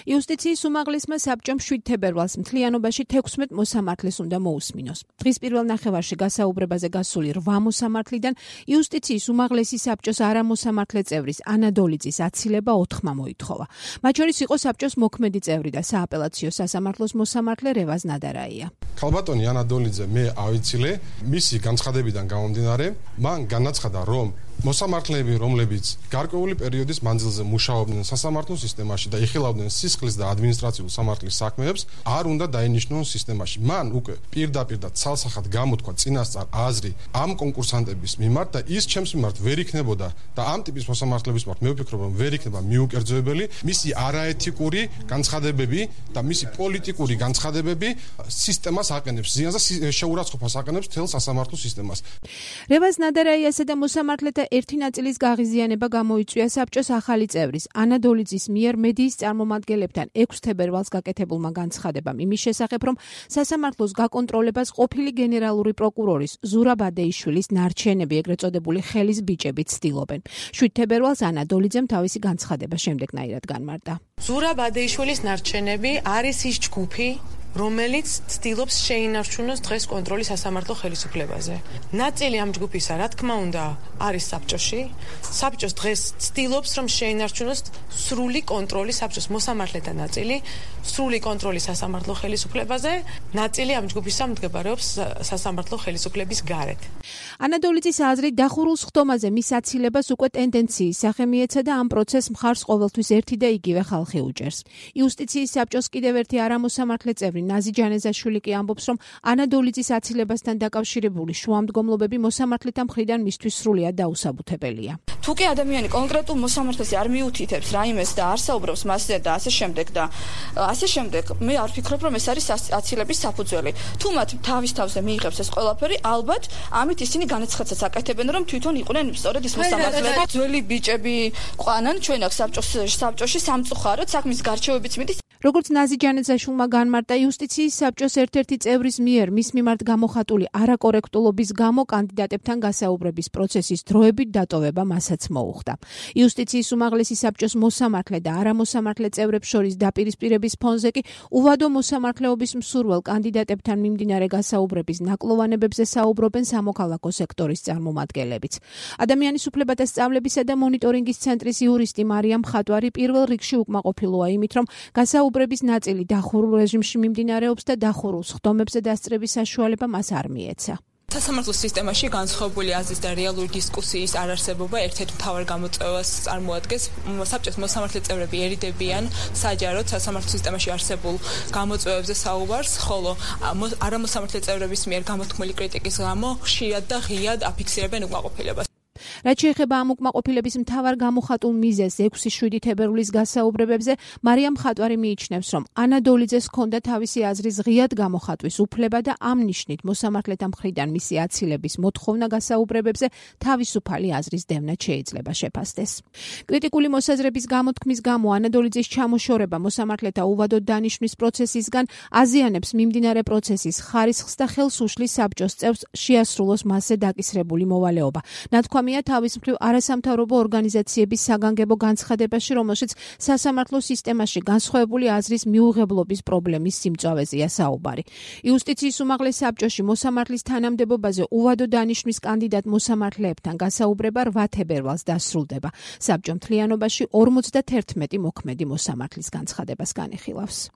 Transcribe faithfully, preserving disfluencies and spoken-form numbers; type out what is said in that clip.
იუსტიციის უმაღლესმა საბჭომ შვიდ თებერვალს მთლიანობაში თექვსმეტ მოსამართლეს უნდა მოусმინოს. დღის პირველ ნახევარში გასაუბრებაზე გასული რვა მოსამართლიდან იუსტიციის უმაღლესი საბჭოს არამოსამართლე წევრის ანა დოლიძის აცილება ოთხმა მოითხოვა. მათ შორის იყო საბჭოს მოქმედი წევრი და სააპელაციო სასამართლოს მოსამართლე რევაზ ნადარაია. ქალბატონი ანა დოლიძე მე ავიცილე, მისი განცხადებიდან გამომდინარე, მან განაცხადა, რომ მოსამართლეები, რომლებიც გარკვეული პერიოდის მანძილზე მუშაობდნენ სასამართლო სისტემაში და იხილავდნენ სისხლის და ადმინისტრაციულ სამართლის საქმეებს, არ უნდა დაინიშნონ სისტემაში. მან უკვე პირდაპირ და ცალსახად გამოთქვა წინასწარ აზრი ამ კონკურსანტების მიმართ და ის ჩემს მიმართ ვერ იქნებოდა და ამ ტიპის მოსამართლეების მიმართ მე ვფიქრობ, რომ ვერ იქნება მიუკერძოებელი მისი არაეთიკური განცხადებები და მისი პოლიტიკური განცხადებები სისტემას აყენებს ზიანს და შეურაცხყოფას აყენებს მთელ სასამართლო სისტემას. რევაზ ნადარაიასა და მოსამართლეთა ერთი ნაწილის გაღიზიანება გამოიწვია საბჭოს ახალი წევრის ანა დოლიძის მიერ მედიის წარმომადგენლებთან ექვსი თებერვალს გაკეთებულმა განცხადებამ იმის შესახებ, რომ სასამართლოს გაკონტროლებას ყოფილი გენერალური პროკურორის ზურაბ ადეიშვილის ნარჩენები, ეგრეთ წოდებული ხელის ბიჭები ცდილობენ. შვიდ თებერვალს ანა დოლიძემ თავისი განცხადება შემდეგნაირად განმარტა. ზურაბ ადეიშვილის ნარჩენები არის ის ჯგუფი, რომელიც ცდილობს შეინარჩუნოს დღეს კონტროლი სასამართლო ხელისუფლებაზე. ნაწილი ამ ჯგუფისა, რა თქმა უნდა, არის საბჭოში. საბჭოს დღეს ცდილობს, რომ შეინარჩუნოს სრული კონტროლი საბჭოს მოსამართლეთა ნაწილი, სრული კონტროლი სასამართლო ხელისუფლებაზე, ნაწილი ამ ჯგუფისა მდებარეობს სასამართლო ხელისუფლების გარეთ. ანა დოლიძის აზრით დახურულ სხდომაზე მის აცილებას უკვე ტენდენციის სახე მიეცა და ამ პროცესს მხარს ყოველთვის ერთი და იგივე ხალხი უჭერს. იუსტიციის საბჭოს კიდევ ერთი არამოსამართლე წევრი ნაზი ჯანეზაშვილი კი ამბობს, რომ ანა დოლიძის აცილებასთან დაკავშირებული შუამდგომლობები მოსამართლეთა მხრიდან მისთვის სრულიად დაუსაბუთებელია. თუ კი ადამიანი კონკრეტულ მოსამართლეს არ მიუთითებს რაიმეს და არ საუბრობს მასზე და ასე შემდეგ და ასე შემდეგ, მე არ ვფიქრობ, რომ ეს არის აცილების საფუძველი. თუ მათ თავის თავზე მიიღებს ეს ყველაფერი, ალბათ ამით ისინი განაცხადსაც აკეთებენ, რომ თვითონ იყვნენ სწორედ ის მოსამართლეები. ძველი ბიჭები ყვანან ჩვენ აქ საბჭოში სამწუხაროდ საქმის გარჩევებიც მიდის. როგორც ნაზი ჯანეზაშვილმა განმარტა, იუსტიციის საბჭოს ერთ-ერთი წევრის მიერ მის მიმართ გამოხატული არაკორექტულობის გამო კანდიდატებთან გასაუბრების პროცესის დროებით დატოვება მასაც მოუხდა. იუსტიციის უმაღლესი საბჭოს მოსამართლე და არამოსამართლე წევრებს შორის დაპირისპირების ფონზე კი უვადო მოსამართლეობის მსურველ კანდიდატებთან მიმდინარე გასაუბრების ნაკლოვანებებზე საუბრობენ სამოქალაქო სექტორის წარმომადგენლებიც. ადამიანის უფლებათა სწავლებისა და მონიტორინგის ცენტრის იურისტი მარიამ ხატვარი პირველ რიგში უკმაყოფილოა იმით, რომ გასაუბრების ბრების ნაწილი დახურულ რეჟიმში მიმდინარეობს და დახურულ სხდომებზე დასწრების საშუალება მას არ მიეცა. სასამართლო სისტემაში განსხვავებული აზრის და რეალური დისკუსიის არარსებობა ერთ-ერთ მთავარ გამოწვევას წარმოადგენს. საბჭოს მოსამართლე წევრები ერიდებიან საჯაროდ სასამართლო სისტემაში არსებულ გამოწვევებზე საუბარს, ხოლო არამოსამართლე წევრების მიერ გამოთქმული კრიტიკის გამო ხშირად და ღიად აფიქსირებენ უკმაყოფილებას. რაც შეეხება ამ უკმაყოფილების მთავარ გამოხატულ მიზეზს ექვსი შვიდი თებერვლის გასაუბრებებზე, მარიამ ხატვარი მიიჩნევს, რომ ანა დოლიძეს ჰქონდა თავისი აზრის ღიად გამოხატვის უფლება და ამ ნიშნით მოსამართლეთა მხრიდან მისი აცილების მოთხოვნა გასაუბრებებზე თავისუფალი აზრის დევნად შეიძლება შეფასდეს. კრიტიკული მოსაზრების გამოთქმის გამო ანა დოლიძის ჩამოშორება მოსამართლეთა უვადოდ დანიშვნის პროცესისგან აზიანებს მიმდინარე პროცესის ხარისხს და ხელს უშლის საბჭოს წევრს შეასრულოს მასზე დაკისრებული მოვალეობა. ნათქვამია თავის მხრივ არასამთავრობო ორგანიზაციების საგანგებო განცხადებაში, რომელშიც სასამართლო სისტემაში განსხვავებული აზრის მიუღებლობის პრობლემის სიმწვავეზეა საუბარი. იუსტიციის უმაღლეს საბჭოში მოსამართლის თანამდებობაზე უვადო დანიშვნის კანდიდატ მოსამართლეებთან გასაუბრება რვა თებერვალს დასრულდება. საბჭო მთლიანობაში ორმოცდათერთმეტი მოქმედი მოსამართლის განცხადებას განიხილავს.